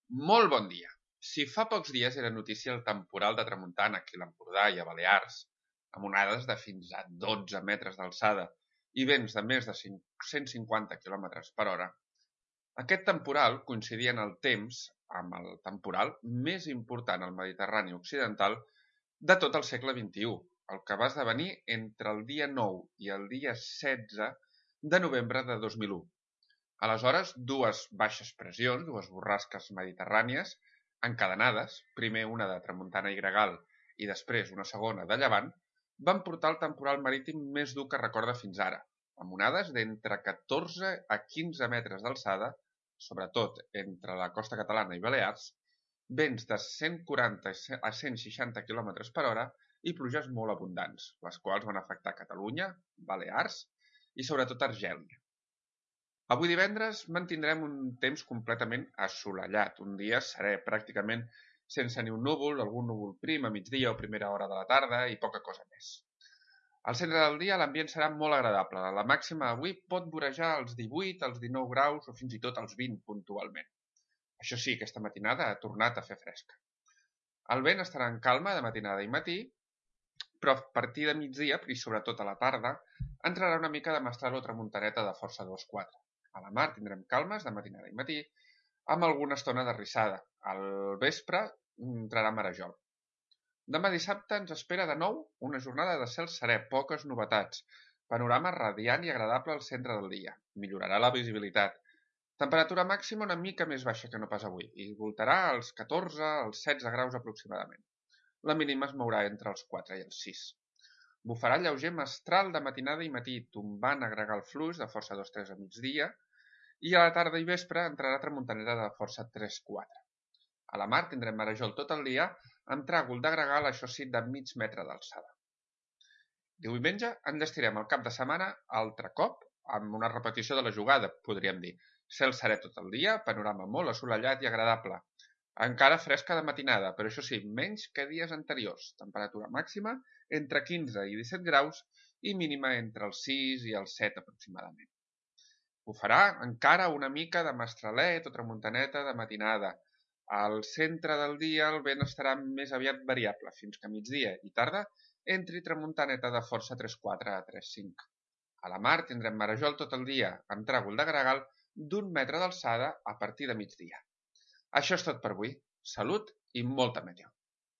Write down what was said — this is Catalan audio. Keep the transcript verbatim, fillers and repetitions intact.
Molt bon dia. Si fa pocs dies era notícia el temporal de tramuntana aquí a l'Empordà i a Balears, amb onades de fins a dotze metres d'alçada i vents de més de cent cinquanta quilòmetres per hora, aquest temporal coincidia en el temps amb el temporal més important al Mediterrani occidental de tot el segle vint-i-u, el que va esdevenir entre el dia nou i el dia setze de novembre de dos mil u. Aleshores, dues baixes pressions, dues borrasques mediterrànies, encadenades, primer una de tramuntana i gregal i després una segona de llevant, van portar el temporal marítim més dur que recorda fins ara, amb onades d'entre catorze a quinze metres d'alçada, sobretot entre la costa catalana i Balears, vents de cent quaranta a cent seixanta quilòmetres per hora i pluges molt abundants, les quals van afectar Catalunya, Balears i sobretot Argèlia. Avui divendres mantindrem un temps completament assolellat, un dia serè pràcticament sense ni un núvol, algun núvol prim a migdia o primera hora de la tarda i poca cosa més. Al centre del dia l'ambient serà molt agradable, la màxima avui pot vorejar els divuit, els dinou graus o fins i tot els vint puntualment. Això sí, aquesta matinada ha tornat a fer fresca. El vent estarà en calma de matinada i matí, però a partir de migdia, i sobretot a la tarda, entrarà una mica de mestral o tramuntaneta de força dos quatre. A la mar tindrem calmes de matinada i matí, amb alguna estona de rissada. Al vespre entrarà marejol. Demà dissabte ens espera de nou una jornada de cel serè, poques novetats. Panorama radiant i agradable al centre del dia. Millorarà la visibilitat. Temperatura màxima una mica més baixa que no pas avui, i voltarà als catorze als setze graus aproximadament. La mínima es mourà entre els quatre i els sis. Bufarà lleuger mestral de matinada i matí, tombant a gregal fluix de força dos tres a migdia, i a la tarda i vespre entrarà tramuntanera de força tres quatre. A la mar tindrem marejol tot el dia, amb tràgol de gregal, això sí, de mig metre d'alçada. Diumenge enllestirem el cap de setmana altre cop, amb una repetició de la jugada, podríem dir. Cel serè tot el dia, panorama molt assolellat i agradable. Encara fresca de matinada, però això sí, menys que dies anteriors. Temperatura màxima entre quinze i disset graus i mínima entre els sis i els set aproximadament. Bufarà encara una mica de mestralet o tramuntaneta de matinada. Al centre del dia el vent estarà més aviat variable, fins que a migdia i tarda entri tramuntaneta de força tres quatre a tres cinc. A la mar tindrem marejol tot el dia, amb tràgol de gregal d'un metre d'alçada a partir de migdia. Això és tot per avui. Salut i molta meteo.